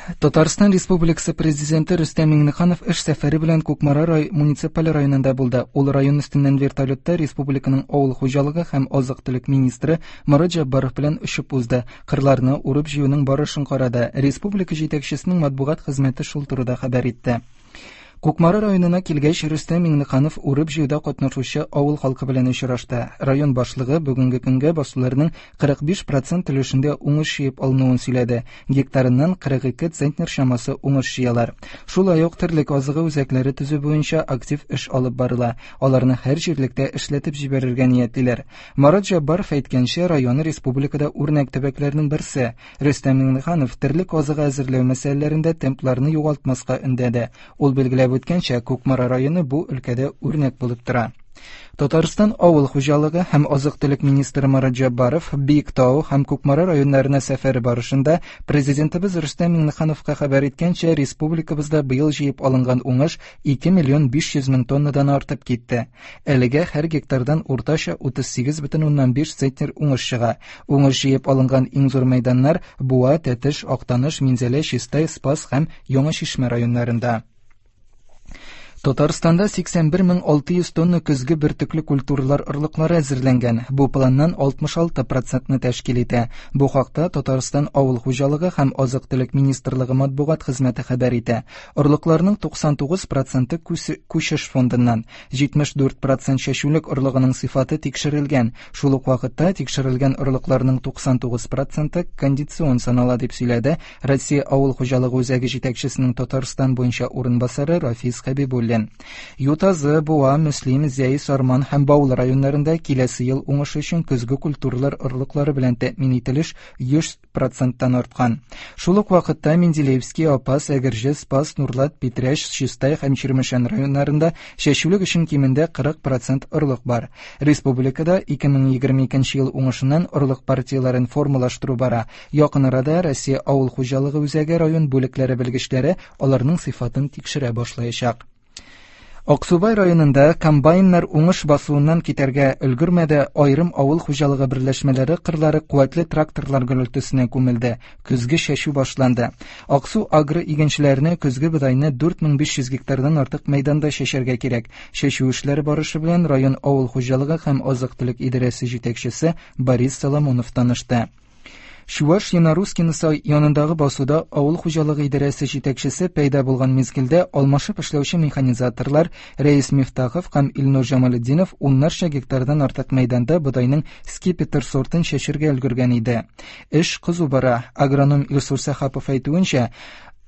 Татарстан Республикасы Президенты Рөстәм Миңнеханов эш сәфәре белән Кукмара рай муниципаль районында булды. Ул район өстеннән вертолетта республиканың авыл хуҗалыгы һәм азык-төлек министры Марат Җәббаров белән очып узды. Кырларны урып-җыюның барышын карады. Республика җитәкчесенең матбугат хезмәте шул турыда хәбәр итте. Кукмара районына килгәч, Рөстәм Миңнеханов урып-җыюда катнашучы авыл халкы белән очрашты. Район башлыгы бүгенге көнгә басуларның 45 процент өлешендә уңыш җыеп алынуын сөйләде. Гектарыннан 42 центнер чамасы уңыш җыялар. Шулай ук терлек азыгы үзәкләре төзү буенча актив эш алып барыла. Аларны һәр җирлектә эшләтеп җибәрергә ниятлиләр. Марат Җәббаров әйткәнчә, район республикада үрнәк төбәкләрнең берсе. Рөстәм Миңнеханов терлек азыгы әзерләү мәсьәләләрендә темпларны югалтмаска өндәде. Ул билгеләп үткәнчә, Кукмара районы бу өлкәдә үрнәк булып тора. Татарстан авыл хуҗалыгы һәм азык-төлек министры Марат Җәббаров Биектау һәм Кукмара районнарына сәфәре барышында Президентыбыз Рөстәм Миңнехановка хәбәр иткәнчә, республикабызда быел җыеп алынган уңыш 2 миллион 500 мең тоннадан артып китте. Әлегә һәр гектардан уртача 38,5 центнер уңыш чыга. Уңыш җыеп алынган иң зур мәйданнар Буа, Тәтеш, Актаныш, Минзәлә, Чистай, Спас һәм Яңа Чишмә районнарында. Татарстанда 81600 тонна көзге бөртекле культуралар орлыклары әзерләнгән. Бу планнан 66 процентны тәшкил итә. Бу хакта Татарстан авыл хуҗалыгы һәм азык-төлек министрлыгы матбугат хезмәте хәбәр итә. Орлыкларның 99 проценты күчеш фондыннан. 74 процент чәчүлек орлыгының сыйфаты тикшерелгән. Шул ук вакытта тикшерелгән орлыкларның 99 проценты кондицион санала, дип сөйләде Россия авыл хуҗалыгы үзәге җитәкчесенең Татарстан буенча урынбасары Рафис Хәбибуллин. Ютазы, Буа, Мөслим, Зәй, Сарман һәм Баулы районнарында киләсе ел уңышы өчен көзге культуралар орлыклары белән тәэмин ителеш 100 проценттан арткан. Шул ук вакытта Менделеевский, Апас, Әгерҗе, Спас, Нурлат, Питрәч, Чистай һәм Чирмешән районнарында чәчүлек өчен кимендә 40 процент орлык бар. Республикада 2022 ел уңышыннан орлык партияләрен формалаштыру бара. Якын арада Россия авыл хуҗалыгы үзәге район бүлекләре белгечләре аларның сыйфатын тикшерә башлаячак. Аксубай районында комбайннар уңыш басуыннан китәргә өлгермәде, аерым авыл хуҗалыгы берләшмәләре кырлары куәтле тракторлар гөрелтесенә күмелде. Көзге чәчү башланды. Аксу агро игенчеләренә көзге бодайны 4500 гектардан артык мәйданда чәчәргә кирәк. Чәчү эшләре барышы белән район авыл хуҗалыгы һәм азык-төлек идарәсе җитәкчесе Борис Соломонов танышты. Чуваш Янарускинысы янындагы басуда авыл хуҗалыгы идарәсе җитәкчесе пәйда булган мизгелдә алмашып эшләүче механизаторлар Рәис Мифтахов һәм Илнур Җамалетдинов уннарча гектардан артык мәйданда бодайның скипетр сортын чәчергә өлгергән иде. Эш кызу бара. Агроном Илсур Сәхапов әйтүенчә,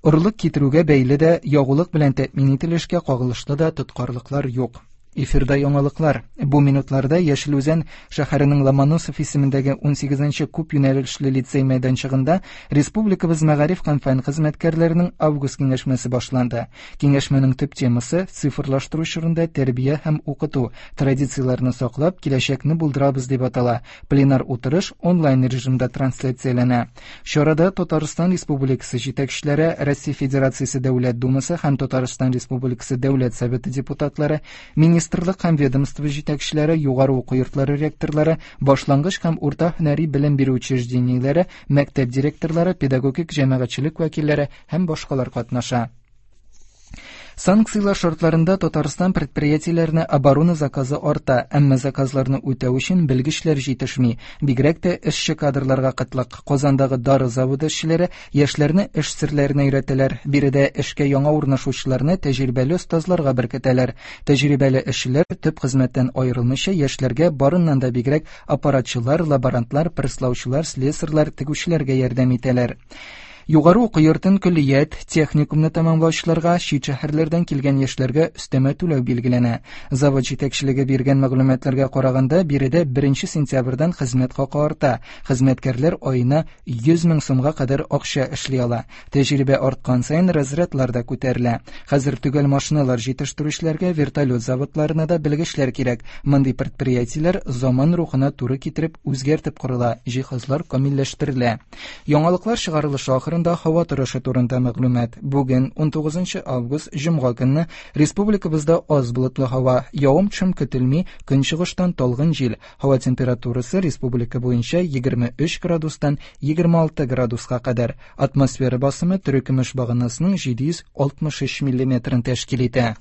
орлык китерүгә бәйле дә, ягулык белән тәэмин ителешкә кагылышлы да тоткарлыклар юк. Эфирда яңалыклар. Бу минутларда Яшел Үзән шәһәренең Ломоносов исемендәге 18 күп юнәлешле лицей мәйданчыгында республикабыз мәгариф һәм фән хезмәткәрләренең август киңәшмәсе башланды. Киңәшмәнең төп темасы цифрлаштыру чорында тәрбия һәм укыту, традицияләрне саклап, киләчәкне булдырабыз дип атала. Пленар утырыш онлайн режимда трансляцияләнә. Чарада Татарстан Республикасы җитәкчеләре, Россия Федерациясе Дәүләт Думасы һәм Татарстан Республикасы Дәүләт Советы депутатлары, министрлык һәм ведомство җитәкчеләре, югары уку йортлары ректорлары, башлангыч һәм урта һөнәри белем бирү учреждениеләре, мәктәп директорлары, педагогик җәмәгатьчелек вәкилләре һәм башкалар катнаша. Санкцияләр шартларында Татарстан предприятиеләренә оборона заказы арта, әмма заказларны үтәү өчен белгечләр җитешми. Бигрәк тә эшче кадрларга кытлык. Казандагы дары заводы эшчеләре яшьләрне эш серләренә өйрәтәләр. Биредә эшкә яңа урнашучыларны тәҗрибәле остазларга беркетәләр. Тәҗрибәле эшчеләр төп хезмәттән аерылмыйча яшьләргә барыннан да бигрәк аппаратчылар, лаборантлар, пресслаучылар, слесарьлар, тегүчеләргә ярдәм итәләр. Югары уку йортын көллият, техникумны тәмамлаучыларга, чит шәһәрләрдән килгән яшьләргә өстәмә түләү билгеләнә. Завод җитәкчелеге биргән мәгълүматларга караганда, биредә 1 сентябрьдән хезмәт хакы арта. Хезмәткәрләр аена 100 мең сумга кадәр акча эшли ала. Тәҗрибә арткан саен разрядлар да күтәрелә. Хәзер төгәл машиналар җитештерүчеләргә, вертолет заводларына да белгечләр кирәк. Мондый предприятиеләр заман рухына туры китереп үзгәртеп корыла, җиһазлар камилләштерелә. Яңалыклар чыгарылышы ахырында районнарында һава торышы турында мәгълүмат. Бүген, 19 август, җомга көнне, республикабызда аз болытлы һава, явым-төшем көтелми, көнчыгыштан талгын җил. Һава температурасы республика буенча 23 градустан 26 градуска кадәр. Атмосфера басымы терекөмеш баганасының 763 миллиметрын тәшкил итә.